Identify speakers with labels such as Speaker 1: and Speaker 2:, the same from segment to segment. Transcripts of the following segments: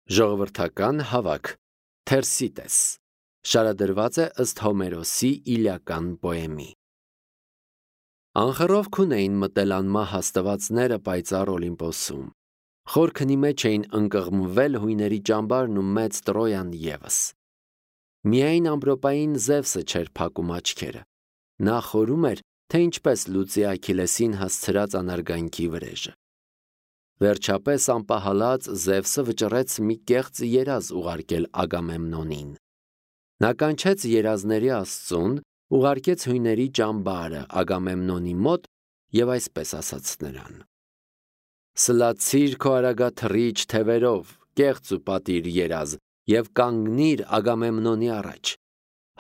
Speaker 1: Ժողովրդական հավաք, Թերսիտես, շարադրված է ըստ Հոմերոսի իլիական պոեմի։ Անխռով քուն էին մտել անմահ հաստվածները պայծառ Օլիմպոսում։ Խորքնի մեջ էին ընկղմվել հույների ճամբարն ու մեծ Տրոյան ևս։ Միայն ամպրոպային Զևսը չէր փակում աչքերը։ Նա խորում էր, թե ինչպես լուծի Աքիլեսին հասցրած անարգանքի վրեժը։ Վերջապես անպահալած Զևսը վճռեց մի կեղծ երազ ուղարկել Ագամեմնոնին։ Նա կանչեց երազների աստծուն, ուղարկեց հույների ճամբարը Ագամեմնոնի մոտ և այսպես ասաց նրան. «Սլացիր քո արագաթռիչ թևերով, կեղծ ու պատիր երազ, և կանգնիր Ագամեմնոնի առաջ,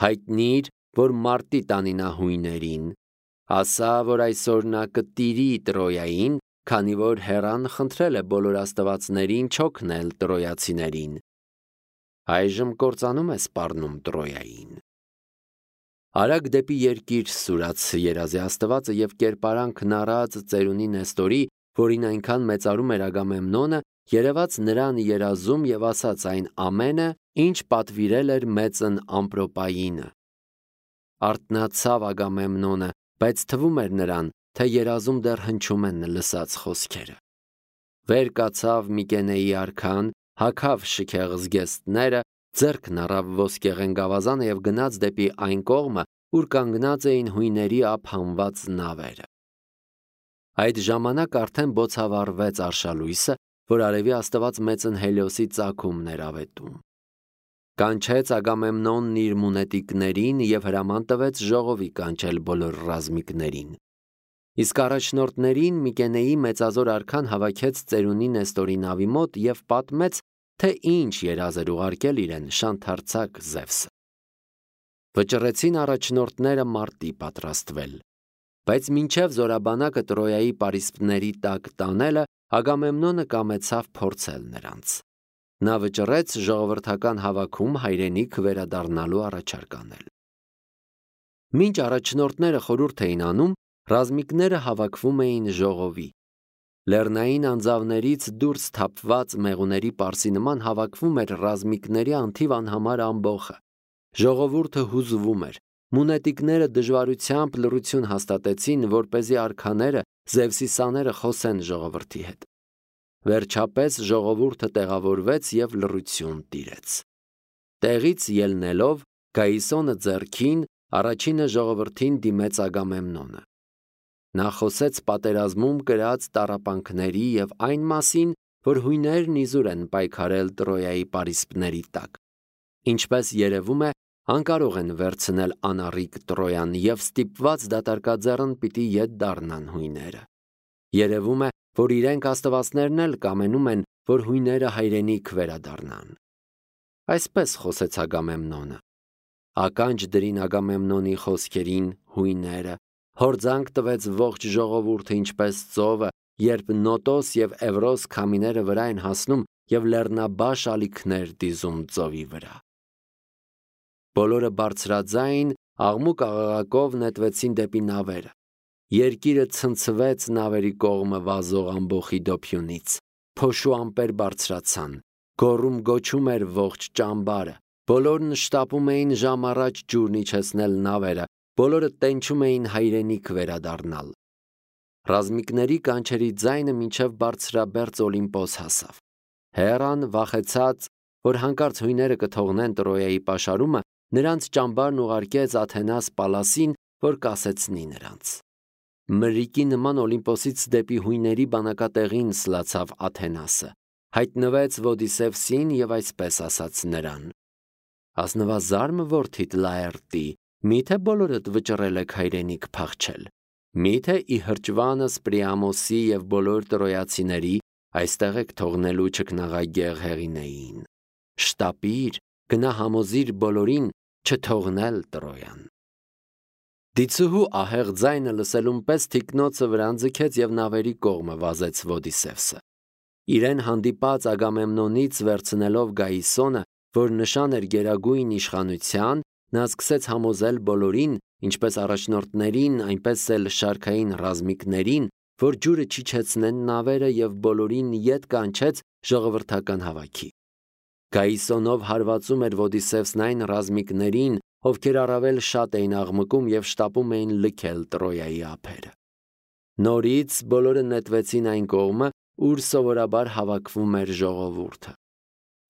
Speaker 1: հայտնիր, որ մարտի տանի նա հույներին, ասա, որ այսօր նա կտիրի Տրոյային, քանի որ Հեռան խնդրել է բոլոր աստվածներին չօգնել տրոյացիներին, այժմ կործանում է սպառնում Տրոյային»։ Արագ դեպի երկիր սուրաց երազի աստվածը և կերպարանքն առած ծերունի Նեստորի, որին այնքան մեծարում էր Ագամեմնոնը, երևաց նրան երազում և ասաց այն ամենը, ինչ պատվիրել էր մեծն Ամպրոպայինը։ Արթնացավ Ագամեմնոնը, բայց թվում էր նրան, թե երազում դեռ հնչում են լսած խոսքերը։ Վեր կացավ Միկենեի արքան, հագավ շքեղ զգեստները, ձեռքն առավ ոսկեղեն գավազանը և գնաց դեպի այն կողմը, ուր կանգնած էին հույների ափ հանված նավերը։ Այդ ժամանակ արդեն բոցավառվեց արշալույսը, որ արևի աստված մեծն Հելիոսի ծագումն էր ավետում։ Կանչեց Ագամեմնոնն իր մունետիկներին և հրաման տվեց ժողովի կանչել բոլոր ռազմիկներին։ Իսկ առաջնորդներին Միկենեի մեծազոր արքան հավաքեց ծերունի Նեստորի նավի մոտ և պատմեց, թե ինչ երազ էր ուղարկել իրեն շանթարցակ Զևսը։ Վճռեցին առաջնորդները մարտի պատրաստվել, բայց մինչև զորաբանակը Տրոյայի պարիսպների տակ տանելը, Ագամեմնոնը կամեցավ փորձել նրանց։ Նա վճռեց ժողովրդական հավաքում հայրենիք վերադառնալու առաջարկ անել։ Մինչ առաջնորդները խորհուրդ էին անում, ռազմիկները հավաքվում էին ժողովի։ Լեռնային անձավներից դուրս թափված մեղուների պարսի նման հավաքվում էր ռազմիկների անթիվ անհամար ամբոխը։ Ժողովուրդը հուզվում էր։ Մունետիկները դժվարությամբ լռություն հաստատեցին, որպեսզի արքաները, Զևսի սաները խոսեն ժողովրդի հետ։ Վերջապես ժողովուրդը տեղավորվեց և լռություն տիրեց։ Տեղից ելնելով, Գայիսոնը ձեռքին, առաջինը ժողովրդին դիմեց Ագամեմնոնը։ Նա խոսեց պատերազմում կրած տառապանքների և այն մասին, որ հույներն իզուր են պայքարել Տրոյայի պարիսպների տակ։ Ինչպես երևում է, անկարող են վերցնել անառիկ Տրոյան և ստիպված դատարկաձեռն պիտի ետ դառնան հույները։ Երևում է, որ իրենք աստվածներն էլ կամենում են, որ հույները հայրենիք վերադառնան։ Այսպես խոսեց Ագամեմնոնը։ Ականջ դրին Ագամեմնոնի խոսքերին հույները, հորձանք տվեց ողջ ժողովուրդը ինչպես ծովը, երբ Նոտոս և Էվրոս քամիները վրա են հասնում և լեռնաբաշ ալիքներ դիզում ծովի վրա։ Բոլորը բարձրաձայն աղմուկ աղաղակով նետվեցին դեպի նավերը։ Երկիրը ցնցվեց նավերի կողմը վազող ամբոխի դոփյունից։ Փոշու ամպեր բարձրացան։ Գոռում գոչում էր ողջ ճամբարը։ Բոլորն շտապում էին ժամ առաջ ջուրն իջեցնել նավերը, բոլորը տենչում էին հայրենիք վերադառնալ։ Ռազմիկների կանչերի ձայնը մինչև բարձրաբերձ Օլիմպոս հասավ։ Հեռան վախեցած, որ հանկարծ հույները կթողնեն Տրոյայի պաշարումը, նրանց ճամբարն ուղարկեց Աթենաս Պալասին, որ կասեցնի նրանց։ Մրրիկի նման Օլիմպոսից դեպի հույների բանակատեղին սլացավ Աթենասը, հայտնվեց Ոդիսևսին և այսպես ասաց նրան. «Ազնվազարմ որդիդ Լաերտի, միթե բոլորդ վճռել եք հայրենիք փախչել, միթե ի հրճվանս Պրիամոսի և բոլոր տրոյացիների այստեղ եք թողնելու չքնաղագեղ Հեղինեին։ Շտապիր, գնա համոզիր բոլորին չթողնել Տրոյան»։ Դիցուհու ահեղ ձայնը լսելուն պես թիկնոցը վրան ձգեց և նավերի կողմը վազեց Ոդիսևսը։ Իրեն հանդիպած Ագամեմնոնից վերցնելով Գայիսոնը, որ նշան էր գերագույն իշխանության, նա սկսեց համոզել բոլորին, ինչպես առաջնորդներին, այնպես էլ շարքային ռազմիկներին, որ ջուրը չիջեցնեն նավերը և բոլորին ետ կանչեց ժողովրդական հավաքի։ Գայիսոնով հարվածում էր Ոդիսևսն այն ռազմիկներին, ովքեր առավել շատ էին աղմկում և շտապում էին լքել Տրոյայի ափերը։ Նորից բոլորը նետվեցին այն կողմը, ուր սովորաբար հավաքվում էր ժողովուրդը։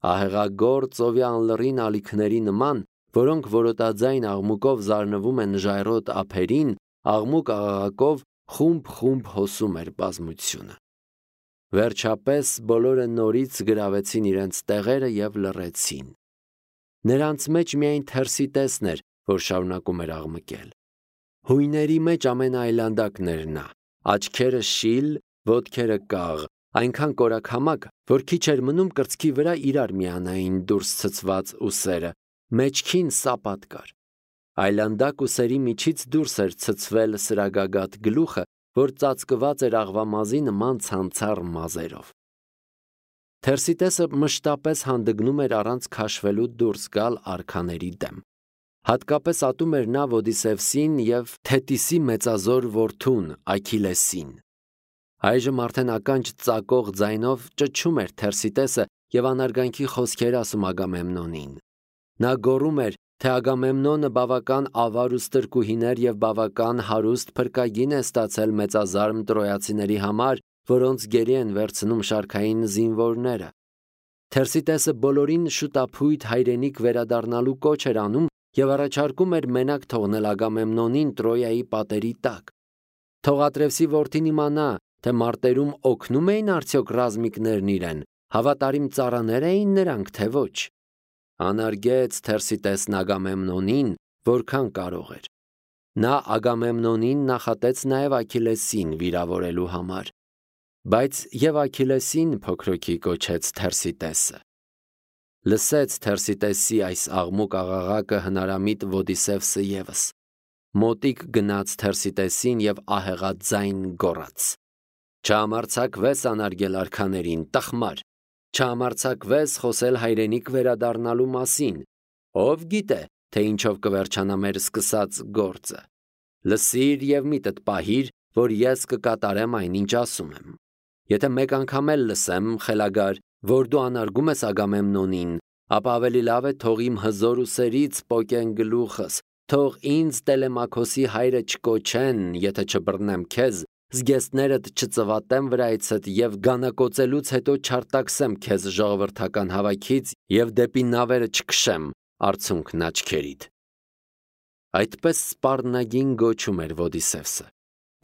Speaker 1: Ահեղագործ ծովի անլռին ալիքների նման, որոնք որոտաձայն աղմուկով զարնվում են ժայռոտ ափերին, աղմուկ աղաղակով խումբ հոսում էր բազմությունը։ Վերջապես բոլորը նորից գրավեցին իրենց տեղերը և լռեցին։ Նրանց մեջ միայն Թերսիտեսն էր, որ շարունակում էր աղմկել։ Հույների մեջ ամենաայլանդակն էր նա, աչքերը շիլ, ոտքերը կաղ, այնքան կորակամակ, որ քիչ էր մնում կրծքի վրա իրար միանային դուրս ցցված ուսերը, մեջքին սապատ կար։ Այլանդակ ուսերի միջից դուրս էր ցցվել սրագագաթ գլուխը, որ ծածկված էր աղվամազի նման ցանցառ մազերով։ Թերսիտեսը մշտապես հանդգնում էր առանց քաշվելու դուրս գալ արքաների դեմ։ Հատկապես ատում էր նա Ոդիսևսին և Թետիսի մեծազոր որդուն Աքիլեսին։ Այժմ արդեն ականջ ծակող ձայնով ճչում էր Թերսիտեսը և անարգանքի խոսքեր ասում Ագամեմնոնին։ Նա գոռում էր, թե Ագամեմնոնը բավական ավար ու ստրկուհիներ և բավական հարուստ փրկագին է ստացել մեծազարմ տրոյացիների համար, որոնց գերի են վերցնում շարքային զինվորները։ Թերսիտեսը բոլորին շուտափույթ հայրենիք վերադառնալու կոչ էր անում և առաջարկում էր մենակ թողնել Ագամեմնոնին Տրոյայի պատերի տակ։ Թող Ատրևսի որդին իմանա, թե մարտերում օգնում էին արդյոք ռազմիկներն իրեն, հավատարիմ ծառաներ էին նրանք, թե ոչ։ Անարգեց Թերսիտեսն Ագամեմնոնին, որքան կարող էր։ Նա Ագամեմնոնին նախատեց նաև Աքիլեսին վիրավորելու համար, բայց և Աքիլեսին փոքրոքի կոչեց Թերսիտեսը։ Լսեց Թերսիտեսի այս աղմուկ աղաղակը հնարամիտ Ոդիսևսը ևս։ Մոտիկ գնաց Թերսիտեսին և ահեղաձայն գոռաց. «Չհամարձակվես անարգել արքաներին, տխմար, չհամարձակվես խոսել հայրենիք վերադառնալու մասին, ով գիտե, թե ինչով կվերջանա մեր սկսած գործը։ Լսիր և միտդ պահիր, որ ես կկատարեմ այն, ինչ ասում եմ։ Եթե մեկ անգամ էլ լսեմ, խելագար, որ դու անարգում ես Ագամեմնոնին, ապա ավելի լավ է թող իմ հզոր ուսերից պոկեն գլուխս, թող ինձ Տելեմաքոսի հայրը չկոչեն, եթե չբռնեմ քեզ, զգեստներդ չծվատեմ վրայցդ և գանակոծելուց հետո չարտաքսեմ քեզ ժողովրդական հավաքից և դեպի նավերը չքշեմ արցունքն աչքերիդ»։ Այդպես սպառնագին գոչում էր Ոդիսևսը։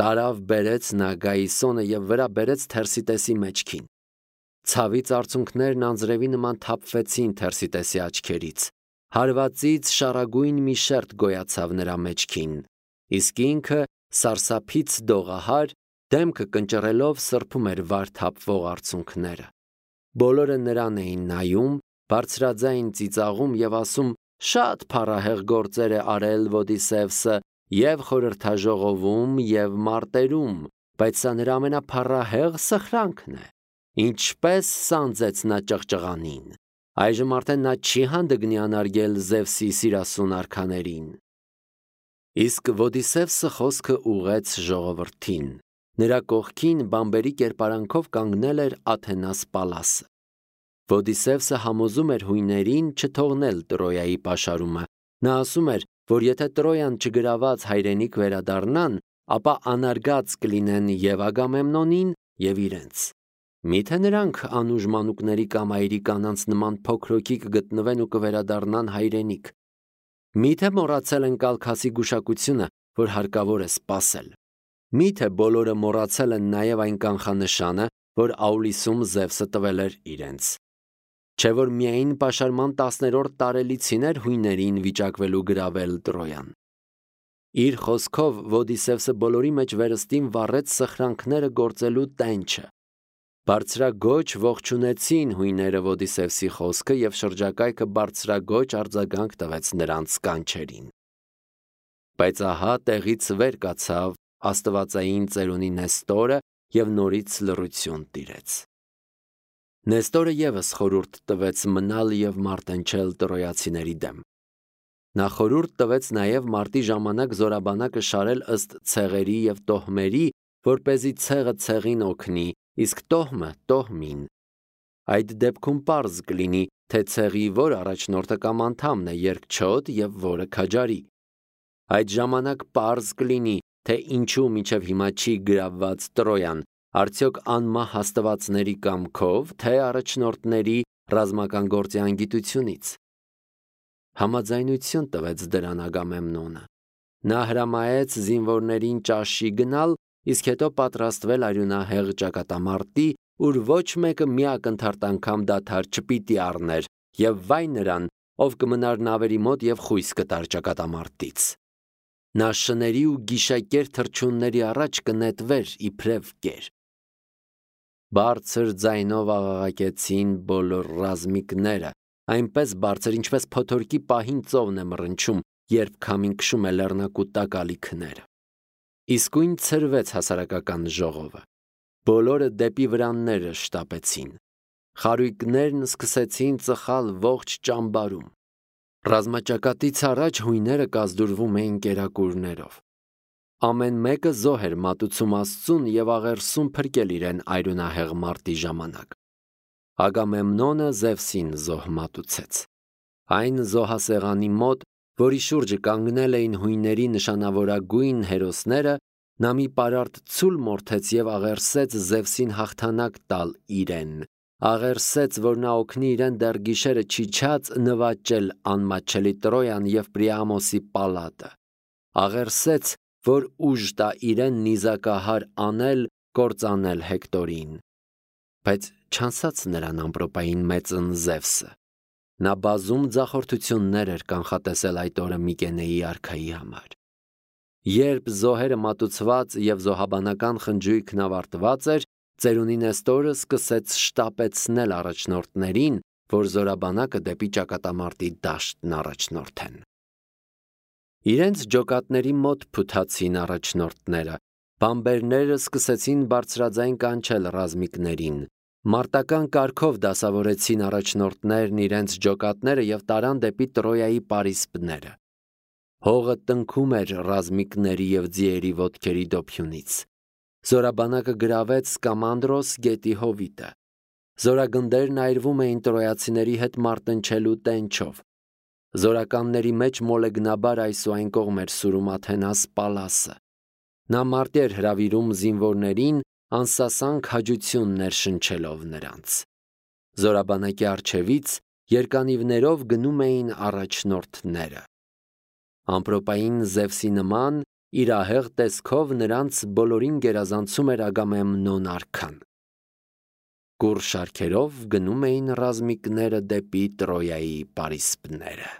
Speaker 1: Տարավ բերեց նա Գայիսոնը և վրա բերեց Թերսիտեսի մեջքին։ Ցավից արցունքներն անձրևի նման թափվեցին Թերսիտեսի աչքերից։ Հարվածից շառագույն մի շերտ գոյացավ նրա մեջքին, իսկ ինքը սարսափից դողահար, դեմքը կնճռելով սրբում էր վար թափվող արցունքները։ Բոլորը նրան էին նայում, բարձրաձայն ծիծաղում և ասում. «Շատ փառահեղ գործեր է արել Ոդիսևսը և խորհրդաժողովում և մարտերում, բայց սա նրա ամենափառահեղ սխրանքն է։ Ինչպես սանձեց նա ճղճղանին։ Այժմ արդեն նա չի հանդգնի անարգել Զևսի սիրասուն արքաներին»։ Իսկ Ոդիսևսը խոսքը ուղղեց ժողովրդին։ Նրա կողքին բամբերի կերպարանքով կանգնել էր Աթենաս Պալասը։ Ոդիսևսը համոզում էր հույներին չթողնել Տրոյայի պաշարումը։ Նա ասում էր, որ եթե Տրոյան չգրաված հայրենիք վերադառնան, ապա անարգած կլինեն և Ագամեմնոնին, և իրենց։ Միթե նրանք անուժ մանուկների կամ այրի կանանց նման փոքրոքի կգտնվեն ու կվերադառնան հայրենիք։ Միթե մոռացել են Կալքասի գուշակությունը, որ հարկավոր է սպասել։ Միթե բոլորը մոռացել են նաև այն կանխանշանը, որ Աուլիսում Զևսը տվել էր իրենց։ Չէ որ միայն պաշարման 10-րդ տարելիցին էր հույներին վիճակվելու գրավել Տրոյան։ Իր խոսքով Ոդիսևսը բոլորի մեջ վերստին վառեց սխրանքները գործելու տենչը։ Բարձրագոչ ողջունեցին հույները Ոդիսևսի խոսքը և շրջակայքը բարձրագոչ արձագանք տվեց նրանց կանչերին։ Բայց ահա տեղից վեր կացավ աստվածային ծերունի Նեստորը և նորից լռություն տիրեց։ Նեստորը ևս խորհուրդ տվեց մնալ և մարտնչել տրոյացիների դեմ։ Նա խորհուրդ տվեց նաև մարտի ժամանակ զորաբանակը շարել ըստ ցեղերի և տոհմերի, որպեսզի ցեղը ցեղին օգնի, իսկ տոհմը՝ տոհմին։ Այդ դեպքում պարզ կլինի, թե ցեղի որ առաջնորդը կամ անդամն է երկչոտ եւ որը քաջարի։ Այդ ժամանակ պարզ կլինի, թե ինչու մինչև հիմա չի գրավված Տրոյան, արդյոք անմահ հաստվածների կամքով, թե առաջնորդների ռազմական գործի անգիտությունից։ Համաձայնություն տվեց դրան Ագամեմնոնը։ Նա հրամայեց զինվորներին ճաշի գնալ, իսկ հետո պատրաստվել արյունահեղ ճակատամարտի, ուր ոչ մեկը մի ակնթարթ անգամ դադար չպիտի առներ, եւ վայ նրան, ով կմնար նավերի մոտ եւ խույս կտար ճակատամարտից։ Նա շների ու գիշակեր թռչունների առաջ կնետվեր իբրև կեր։ Բարձր ձայնով աղաղակեցին բոլոր ռազմիկները, այնպես բարձր, ինչպես փոթորկի պահին ծովն է մռնչում, երբ քամին քշում է լեռնակու տակալի քները։ Իսկույն ցրվեց հասարակական ժողովը։ Բոլորը դեպի վրանները շտապեցին։ Խարույկներն սկսեցին ծխալ ողջ ճամբարում։ Ռազմաճակատից առաջ հույները կազդուրվում էին կերակուրներով։ Ամեն մեկը զոհ էր մատուցում Աստծուն եւ աղերսում փրկել իրեն արյունահեղ մարտի ժամանակ։ Ագամեմնոնը Զևսին զոհ մատուցեց։ Այն զոհասեղանի մոտ, որի շուրջը կանգնել էին հույների նշանավորագույն հերոսները, նա մի պարարտ ցուլ մորթեց եւ աղերսեց Զևսին հաղթանակ տալ իրեն։ Աղերսեց, որ նա օգնի իրեն դեռ գիշերը չիջած նվաճել անմատչելի Տրոյան եւ Պրիամոսի պալատը։ Աղերսեց, որ ուժ տա իրեն նիզակահար անել, կործանել Հեկտորին։ Բայց չանցած նրան ամպրոպային մեծն Զևսը։ Նա բազում ձախորդություններ էր կանխատեսել այդ օրը Միկենեի արքայի համար։ Երբ զոհերը մատուցված եւ զոհաբանական խնջույքն ավարտված էր, ծերունի Նեստորը սկսեց շտապեցնել առաջնորդներին, որ զորաբանակը դեպի ճակատամարտի դաշտն առաջնորդեն։ Իրենց ջոկատների մոտ փութացին առաջնորդները, բամբերները սկսեցին բարձրաձայն կանչել ռազմիկներին։ Մարտական կարգով դասավորեցին առաջնորդներն իրենց ջոկատները եւ տարան դեպի Տրոյայի պարիսպները։ Հողը տնքում էր ռազմիկների եւ ձիերի ոտքերի դոփյունից։ Զորաբանակը գրավեց Սկամանդրոս գետի հովիտը։ Զորագնդերն այրվում էին տրոյացիների հետ մարտնչելու տենչով։ Զորականների մեջ մոլեգնաբար այս ու այն կողմ էր սուրում Աթենաս Պալասը։ Նա մարտի էր հրավիրում զինվորներին, անսասանք հաջություններ շնչելով նրանց։ Զորաբանակի առջևից երկանիվներով գնում էին առաջնորդները։ Ամպրոպային Զևսի նման իր ահեղ տեսքով նրանց բոլորին գերազանցում էր Ագամեմնոն արքան։ Կուռ շարքերով գնում էին ռազմիկները դեպի Տրոյայի պարիսպները։